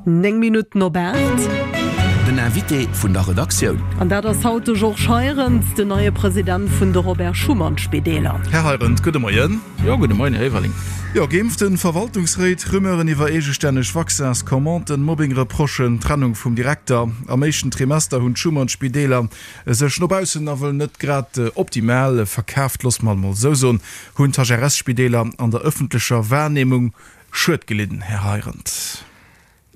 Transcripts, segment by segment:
9 Minutten op 8. Den Invité vun der Redaktioun. An dat ass haut de Georges Heirendt, den neie President vun de Robert Schuman Spideeler. Här Heirendt, gudde Moien. Jo, gudde Moien, Här Everling. Jo, geimpften Verwaltungsréit, Rumeuren iwwer eegestänneg Vaccins-Commanden, Mobbing-Reprochen, Trennung vum Direkter. Am éischten Trimester hunn d'Schuman-Spideeler sech no baussen nawell net grad optimal verkaaft, loosse mer et mol esou soen, hunn d'HRS-Spideeler an der ëffentlecher Wahrnehmung Schued gelidden, Här Heirendt?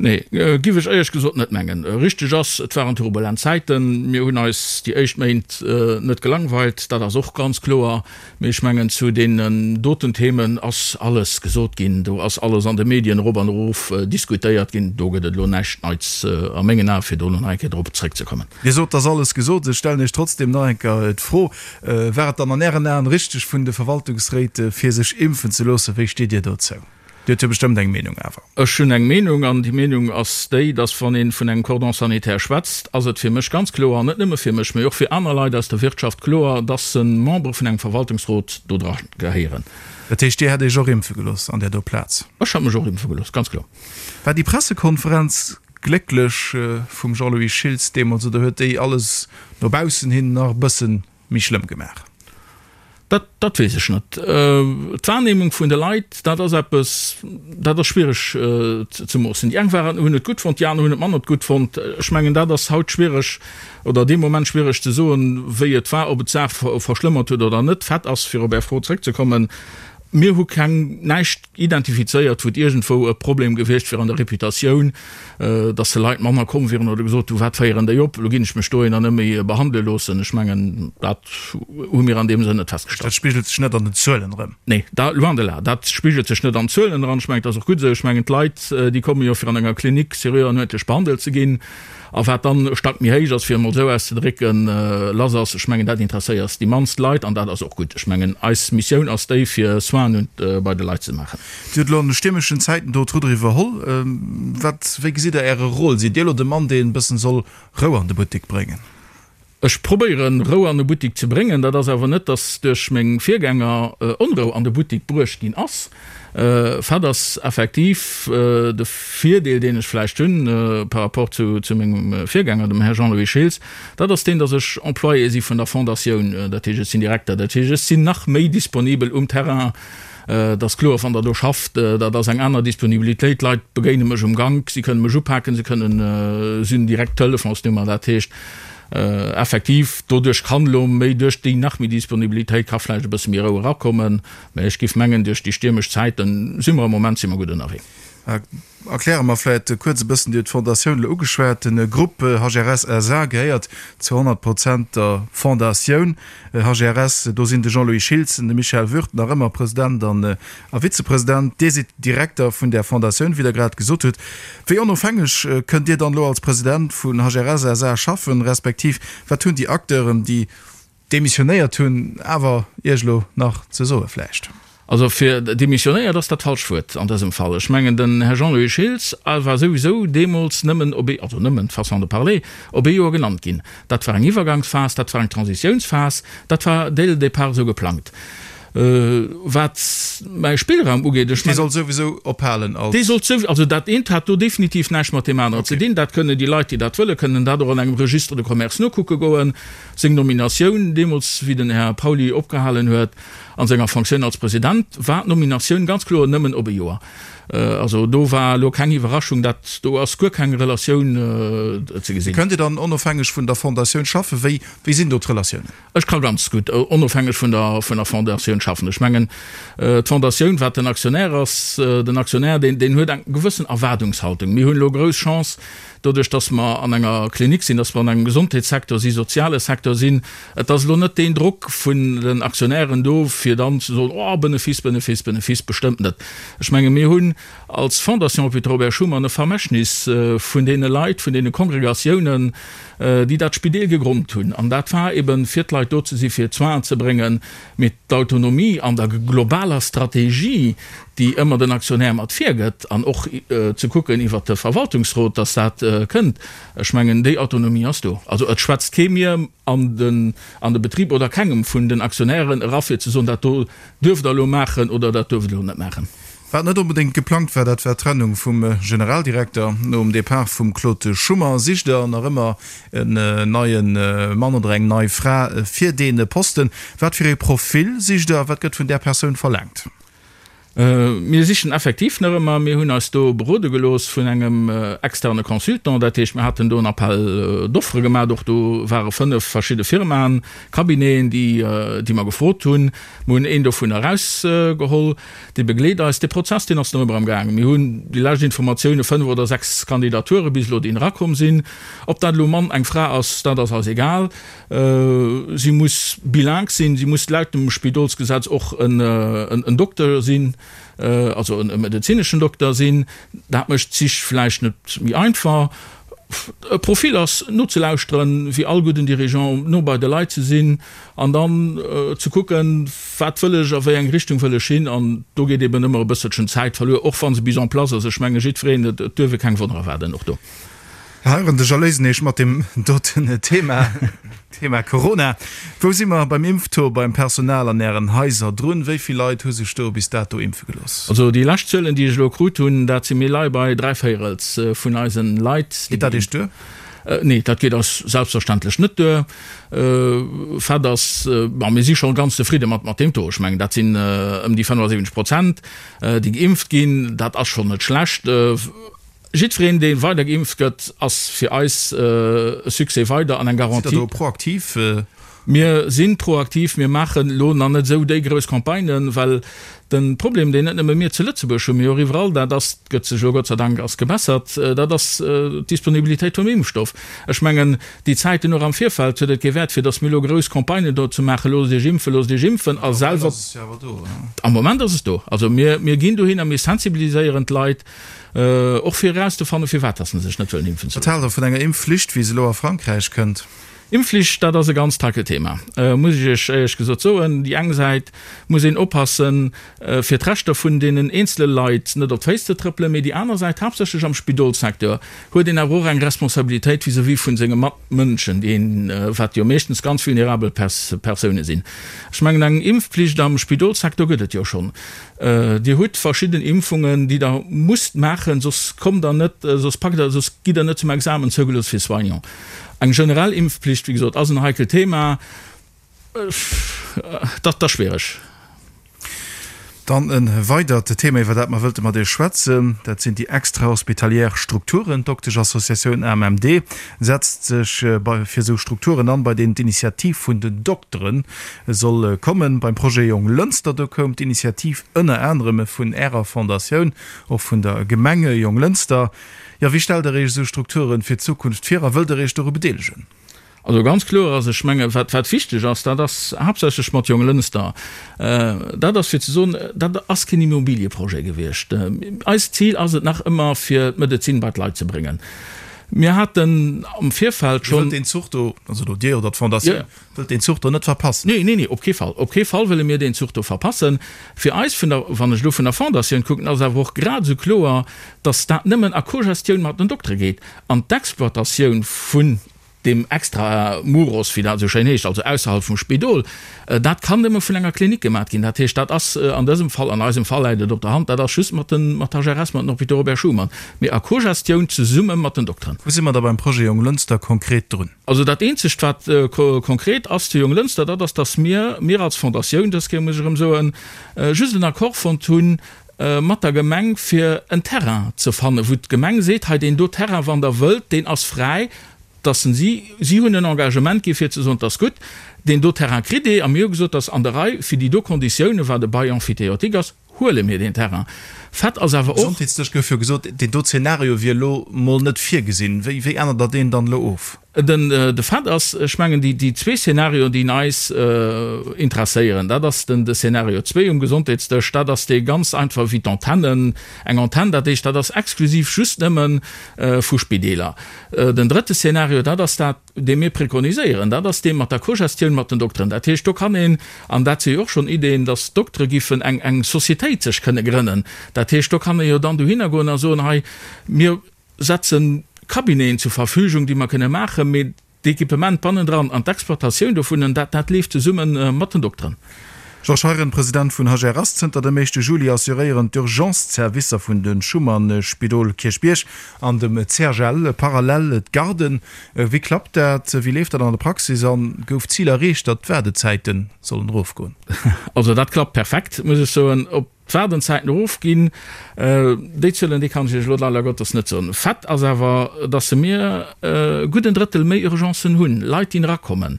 Nee, giff ech éierlech gesot net mengen. Richteg ass, et waren turbulent Zäiten. Mir hunn eis déi éischt Méint net gelangweilt, dat ass och ganz kloer. Mee ech mengen, zu deenen doten Themen ass alles gesot ginn. Do ass alles an de Medien erop an erof diskutéiert ginn. Do gëtt et elo näischt Neits a mengen Ae fir do elo nach eng Kéier drop zréckzekommen. Dir sot, et ass alles gesot. Ech stellen Iech trotzdem nach eng Kéier d'Fro, War et dann an Ären Aen richteg vun de Verwaltungsréit, fir sech impfen ze loossen? Wéi steet Dir dozou? Dir hutt jo bestëmmt eng Meenung awer. Ech hunn eng Meenung, an déi Meenung ass déi, dass wann ee vun engem Cordon sanitaire schwätzt, ass et fir mech ganz kloer, an net nëmme fir mech, mee och fir aner Leit aus der Wirtschaft kloer, dass Membere vun engem Verwaltungsrot do dra gehéieren. Dat heescht, Dir hätt Iech och impfe gelooss an där do Plaz? Ech hätt mech och impfe gelooss, ganz kloer. War déi Pressekonferenz glécklech vum Jean-Louis Schiltz deemools oder huet déi alles no baussen hin nach e bësse méi schlëmm gemaach? Dat, dat weess ech net. D'Wahrnehmung vun de Leit, dat ass eppes, dat ass schwiereg ze moossen. Déi eng waren, hunn et gutt fonnt, déi aner hunn et manner gutt fonnt. Ech mengen, dat ass haut schwiereg oder dee Moment schwiereg ze soen, wéi et war, ob et d'Saach verschlëmmert huet oder net. Fait ass, fir op Är Fro zrëckzekommen, Mir hu keng, näischt identifizéiert, wou et iergendwou e Problem gewiescht wier an der Reputatioun, dass de Leit manner komm wieren oder gesot hu, wat féieren déi op, elo ginn ech mech dohinner net méi behandele loossen. Ech mengen, dat hu mir an deem Sënn net festgestallt. Dat spigelt sech net an den Zuelen erëm? Nee, da, loin de là. Dat spigelt sech net an Zuelen eran. Ech mengen, et ass och gutt esou. Ech mengen, d'Leit, déi komme jo fir an enger Klinik seriö an uerdentlech behandelt ze ginn. A wat dann e Stack méi héich ass, fir emol esou auszedrécken, lass ass, ech mengen, dat interesséiert déi mannst Leit an dat ass och gutt. Ech mengen, eis Missioun ass déi, fir Soinen bei de Leit ze maachen. Dir hutt elo an de stiermeschen Zäiten do d'Rudder iwwerholl. Wat, wéi gesitt Der Äre Rôle? Sidd Dir elo de Mann, deen e bëssen soll Rou an de Buttek bréngen? Ech probéieren, Rou an de Buttik ze bréngen. Dat ass awer net, dass duerch meng Virgänger Onrou an de Buttik bruecht ginn ass. Fait ass effektiv, de Virdeel, deen ech vläicht hunn par rapport zu mengem Virgänger, dem Här Jean-Louis Schiltz, dat ass deen, dass ech Employé si vun der Fondatioun. Dat heescht, ech sinn Direkter. Dat heescht, ech sinn nach méi disponibel um Terrain. Et ass kloer, wann Der do schafft, dat ass eng aner Disponibilitéit. D'Leit begéine mech um Gank, si kënne mech upaken, si kënnen, si hunn direkt d'Telefonsnummer. Dat heescht, Effektiv, doduerch kann elo méi, duerch déi nach méi Disponibilitéit ka vläicht e bësse méi Rou erakommen, mä ech géif mengen, duerch déi stiermesch Zäiten si mer am Moment si mer gutt ënnerwee. Erkläre mer vläicht kuerz e bëssen, Dir hutt d'Fondatioun elo ugeschwat, de Grupp HRS SA gehéiert zu 100 Prozent der Fondatioun HRS. Do sinn de Jean-Louis Schiltz an de Michel Würth nach ëmmer President an a Vizepresident. Dir sidd Direkter vun där Fondatioun, wéi Der grad gesot hutt. Wéi onofhängeg kënnt Dir dann elo als President vun HRS SA schaffen, respektiv wat hunn déi Acteuren, déi demissionéiert hunn, awer Iech elo nach ze soe vläicht? Also fir demissionéiert ass dat falscht Wuert an dësem Fall. Ech mengen, den Här Jean-Louis Schiltz war souwisou deemools nëmmen op ee, also nëmmen, façon de parler, op ee Joer genannt ginn. Dat war eng Iwwergangsphas, dat war eng Transitiounsphas, dat war dès le départ esou geplangt. Wat mäi Spillraum ugeet, ech mengen. Dee sollt souwisou ophalen als. Dee sollt souwisou, also dat eent hat do definitiv näischt mat deem aneren ze dinn. Dat kënnen déi Leit, déi dat wëllen, kënnen dat och an engem Registre de commerce nokucke goen. Seng Nominatioun deemools, wéi den Här Pauly opgehalen huet a senger Fonctioun als President, war d'Nominatioun ganz kloer nëmmen op e Joer. Also do war elo keng Iwwerraschung, dat do ass guer keng Relatioun ze gesinn. Kënnt Dir dann onofhängeg vun der Fondatioun schaffen? Wéi, wéi sinn do d'Relatiounen? Ech ka ganz gutt onofhängeg vun der vun der Fondatioun schaffen. Ech mengen, d'Fondatioun, wat den Aktionär ass, den Aktionär, deen, deen huet eng gewëssen Erwaardungshaltung. Mir hunn elo grouss Chance, doduerch datt mer an enger Klinik sinn, datt mer an engem Gesondheetssecteur si, soziale Secteur sinn. Et ass elo net deen Drock vun den Aktionären do, fir dann ze soen, oh, Benefice, Benefice, Benefice, bestëmmt net. Ech menge mir hunn als Fondation Hôpital Robert Schuman e Vermächtnis vun deene Leit, vun deene Kongregatiounen, déi dat Spideel gegronnt hunn, an dat war eben, fir d'Leit do ze sinn, fir d'Soinen ze bréngen, mee d'Autonomie an der globaler Strategie, déi ëmmer den Aktionär mat virgëtt, an och ze kucken iwwert de Verwaltungsrot, dass dat kënnt, ech mengen, déi Autonomie ass do. Also et schwätzt kee mir an den an de Betrib oder kengem vun den Aktionären era fir ze soen, dat do duerft Der elo maachen oder dat duerft Der elo net maachen. Wat net onbedéngt geplangt war, dat war d'Trennung vum Generaldirekter. Nom Depart vum Claude Schummer sicht Der nach ëmmer en neie Mann oder eng nei Fra fir dee Posten. Wat fir ee Profil sicht Der a wat gëtt vun där Persoun verlaangt? Mir sichen effektiv nach ëmmer. Mir hunn eis do berode gelooss vun engem externe Consultant. Dat heescht, mir haten do en Appel d'offres gemaach. Och do ware 5 verschidde Firmaen, Cabineten, déi, déi mer gefrot hunn. Mir hunn een dovun erausgeholl. Dee begleet eis. Dee Prozess, deen ass nach ëmmer am Gaang. Mir hunn déi lescht Informatioune 5 oder 6 Kandidature bis elo, déi erakomm sinn. Ob dat elo e Mann, eng Fra ass, dat ass eis egal. Si muss bilingue sinn, si muss laut dem Spidolsgesetz och en Dokter sinn, also e medezineschen Dokter sinn. Dat mécht d'Sich vläicht net méi einfach. E Profil ass nozelauschteren, wéi all gudden Dirigeant, no bei de Leit ze sinn an dann ze kucken, wat wëll ech, a wéi eng Richtung wëll ech hin. An do geet eben ëmmer e bësselchen Zäit verluer, och wa se bis en place ass. Ech menge jiddwereen, et duerf ee keng Wonner erwaarden och do. Heieren, de Jalousen mat deem doten Thema, Thema Corona. Wou si mer beim Impftaux beim Personal an Ären Haiser drun? Wéi vill Leit hu sech do bis dato impfe gelooss? Also déi lescht Zuelen, déi ech elo krut hunn, dat si mir lei bei dräivéierels vun eisen Leit. Geet dat Iech duer? Nee, dat geet eis selbstverständlech net duer. Fait ass, bon, mir si scho ganz zefridde mat mat deem Taux. Ech mengen, dat sinn ëm déi 75 Prozent, déi geimpft ginn. Dat ass schonn net schlecht. Jiddwereen, dee weider geimpft gëtt, ass fir eis e Succès weider an eng Garantie. Sidd Der do proaktiv? Mir si proaktiv. Mir maachen elo nach net esou déi grouss Campagnen, well de Problem, deen net nëmme mir zu Lëtzebuerg hunn, mee och iwwerall, dat ass, gëtt sech elo Gott sei Dank ass gebessert, dat ass d'Disponibilitéit vum Impfstoff. Ech mengen, déi Zäiten och am Virfeld huet et kee Wäert, fir datt mir elo grouss Campagnen do ze maachen, Loosst Iech impfen, loosst Iech impfen a selwer. Am Moment ass et do. Also mir ginn dohin a mir sensibiliséieren d'Leit. Och fir erauszefannen, firwat dass se sech net wëllen impfen ze Wat haalt Der vun enger Impfflicht, wéi se elo a Frankräich kënnt? Impfflicht, dat ass e ganzt heikelt Thema, muss ech Iech éierlech gesot soen. Déi eng Säit muss een oppassen, fir d'Rechter vun deenen eenzele Leit net op d'Féiss ze trëppelen, mee déi aner Säit, haaptsächlech am Spidolssecteur, huet een awer och eng Responsabilitéit vis-à-vis vun senge Matmënschen, déi een, wat jo meeschtens ganz vulnerabel Persoune sinn. Ech mengen, eng Impfpflicht am Spidolssecteur gëtt et jo schonn. Dir hutt verschidden Impfungen, déi Der musst maachen, soss kommt Der net, soss packt Der, soss gitt Der net zum Examen zougelooss fir Soignant. Eng generell Impfpflicht, wéi gesot, ass en heikelt Thema. Dat ass schwiereg. Dann e weidert Thema, iwwer dat mer wëlte mat Iech schwätzen, dat sinn déi extrahospitalière Strukturen. D'Dokteschassociatioun AMMD setzt sech fir esou Strukturen an, bei deenen d'Initiativ vun den Dokteren soll kommen. Beim Projet Jonglënster, do koum d'Initiativ ënner anerem vun Ärer Fondatioun, och vun der Gemeng Jonglënster. Jo, wéi stellt Der Iech esou Strukturen fir d'Zukunft vir a wëllt Der Iech doru bedeelegen? Also ganz kloer ass, ech menge wat wat wichteg ass, dat ass haaptsächlech mat Jonglënster, dat ass fir ze soen, dat ass keen Immobilieprojet gewiescht. Eist Zil ass et nach ëmmer fir d'Medezin bei d'Leit ze bréngen. Mir haten am Virfeld schonn. Dir wëllt deen Zuch do, also do Dir oder d'Fondatioun, Wëllt deen Zuch do net verpassen? Nee, nee, nee, op kee Fall. Op kee Fall wëlle mir deen Zuch do verpassen. Fir eis vun der, wann ech elo vun der Fondatioun kucken, ass awer och grad esou kloer, dass dat nëmmen a Cogestioun mat den Doktere geet. An d'Exploitatioun vun deem extra muros, wéi dat esou schéin heescht, also ausserhalb vum Spidol, dat kann nëmme vun enger Klinik gemat ginn. Dat heescht, dat ass an dësem Fall, an eisem Fall läit et op der Hand, dat ass just mat den, mat HRS, mat den Hôpitaux Robert Schuman, mee a Cogestioun zesumme mat den Dokteren. Wou si mer da beim Projet Jonglënster konkret drun? Also dat eenzegt wat konkret ass zu Jonglënster, dat ass, datt mir, mir als Fondatioun, dës Kéier muss ech erëm soen, just en Accord fonnt hu mat der Gemeng fir en Terrain ze fannen, wou d'Gemeng seet, hei deen do Terrain, wann Der wëllt, deen ass fräi, datt se si, si hunn en Engagement gi fir ze soen, 't ass gutt, deen do Terrain kritt Dir, a mir hu gesot, 't ass an der Rei fir déi do Konditiounen, wat e Bail emphytéotique ass, Huele mir deen Terrain. Fait ass awer och. Gesondheetsdësch gouf jo gesot, deen do Zeenario wier elo mol net virgesinn. Wéi wéi ännert Der deen dann elo of? Den de Fait ass, ech mengen, déi déi zwee Szenarioen, déi eis interesséieren, dat ass den de Szenario zwee um Gesondheetsdësch, dat ass dee ganz einfach wéi d'Antennen, eng Antenn, dat heescht, dat ass exklusiv just nëmme vu Spideeler. Den drëtte Szenario, dat ass dat, dee mir prekoniséieren, dat ass dee mat der Cogestioun mat den Dokteren. Dat heescht, do kann een, an dat si jo och schonn Ideeën, datt d'Doktere giffen eng, eng Societéit sech kënne grënnen. Dat heescht, do kann ee jo dann dohinner goen a soen, hei, mir setze Cabineten zur Verfügung, déi mer kënne maachen, mee d'Equipement bannendran an d'Exploitatioun dovunnen, dat, dat leeft zesumme mat den Dokteren. Georges Heiren, President vun HRS, Zënter dem éischte Juli assuréieren d'Urgence-Zerwisser vun de Schuman-Spidol Kierchbierg an dem CHL parallel d'Garden. Wéi klappt dat? Wéi leeft dat an der Praxis? A gouf d'Zil erreecht, datt d'Waardezäite sollen erofgoen? Also dat klappt perfekt, muss ech soen. Ob d'Waardenzäiten erofginn, déi Zuelen, déi kann ech Iech elo leider Gottes net soen. Fait ass awer, datt se mir gutt en Drëttel méi Urgencen hunn, Leit déi erakommen.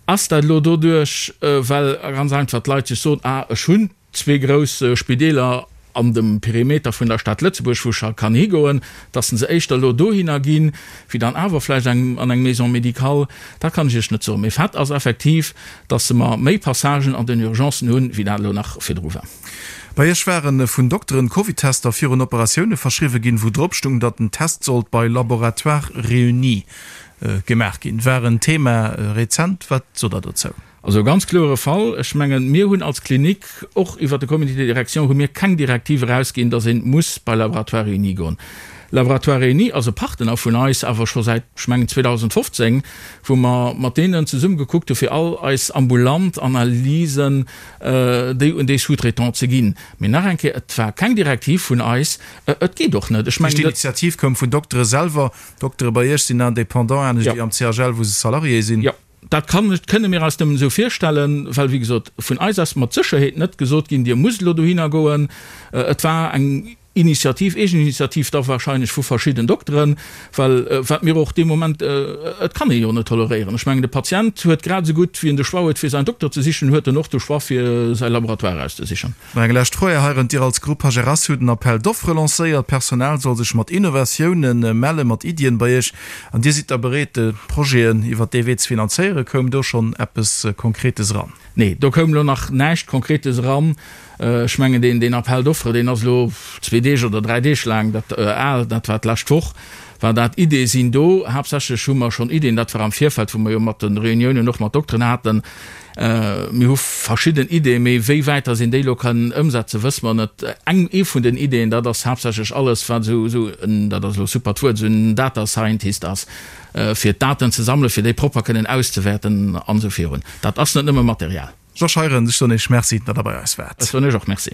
Ass dat elo doduerch, well ganz einfach d'Leit sech soen, ah ech hunn zwee grouss Spideeler an dem Perimeter vun der Stad Lëtzebuerg, wou ech kann higoen, datt se éischter elo dohinner ginn, wéi dann awer vläicht eng an eng Maison médicale, dat kann ech Iech net soen. Mee Fait ass effektiv, datt se mer méi Passagen an den Urgencen hunn, wéi dat elo nach virdru war. Bei Iech ware vun Dokteren Covid-Tester virun Operatioune verschriwwe ginn, wou drop stung, datt den Test sollt bei Laboratoires Réunis gemaach ginn. War en Thema rezent. Wat sot Der dozou? Also e ganz kloere Fall. Ech mengen, mir hunn als Klinik, och iwwert de Comité de direction hu mir keng Direktiv erausginn, datt ee muss bei Laboratoires Réunis goen. Laboratoires Réunis ass e Partner vun eis, awer scho säit, ech mengen, 2015, wou mer mat deenen zesumme gekuckt hu fir all eis ambulant Analysen, déi un déi Sous-traitants ze ginn. Mee nach eng Kéier, et war keng Direktiv vun eis. Et geet och net. Ech mengen, dat. D'Initiativ koum vun Doktere selwer. D'Doktere bei Iech sinn Indépendant, anescht wéi am CHL, wou se Salarié sinn. Jo, dat kann, kënne mir eis nëmmen esou virstellen, well, wéi gesot, vun eis ass mat Sécherheet net gesot ginn, Dir musst elo dohinner goen. Et war eng Initiativ, Eegeninitiativ da wahrscheinlech vu verschidden Dokteren, well wat mir och dee Moment, et kann ee jo net toleréieren. Ech mengen, de Patient huet grad esou gutt, wéi en de Choix huet, fir säin Dokter ze sichen, huet en och de Choix, fir säi Laboratoire auszesichen. Nach eng lescht Fro, Här Heirendt, Dir als Groupe HRS hutt en Appel d'offres lancéiert. D'Personal soll sech mat Innovatiounen mellen, mat Iddien bei Iech. An Dir sidd da bereet, Projeten iwwert dee Wee ze finanzéieren. Koum do schonn eppes Konkretes eran? Nee, do koum elo nach näischt Konkretes eran. Ech mengen, deen Appel d'offres, deen ass elo zwee Deeg oder dräi Deeg laang dat al, dat war d'lescht Woch war dat. Iddie sinn do. Haaptsächlech hu mer schonn Iddien, dat war am Virfeld, wou mer jo mat de Reuniounen och mat Dokteren haten, Mir hu verschidden Ideeën, mee wéi wäit dass een déi elo kann ëmsetzen, wësse mer net. Eng, ee vun den Ideeën, dat ass haaptsächlech alles, wat esou, esou en, dat ass elo super d'Wuert, esou en Data Scientist ass, fir d'Daten ze sammelen, fir déi propper kënnen auszewäerten an esou virun. Dat ass net nëmme Material. Georges Heirendt, ech soen Iech Merci, datt Der bei eis waart. Ech soen Iech och Merci.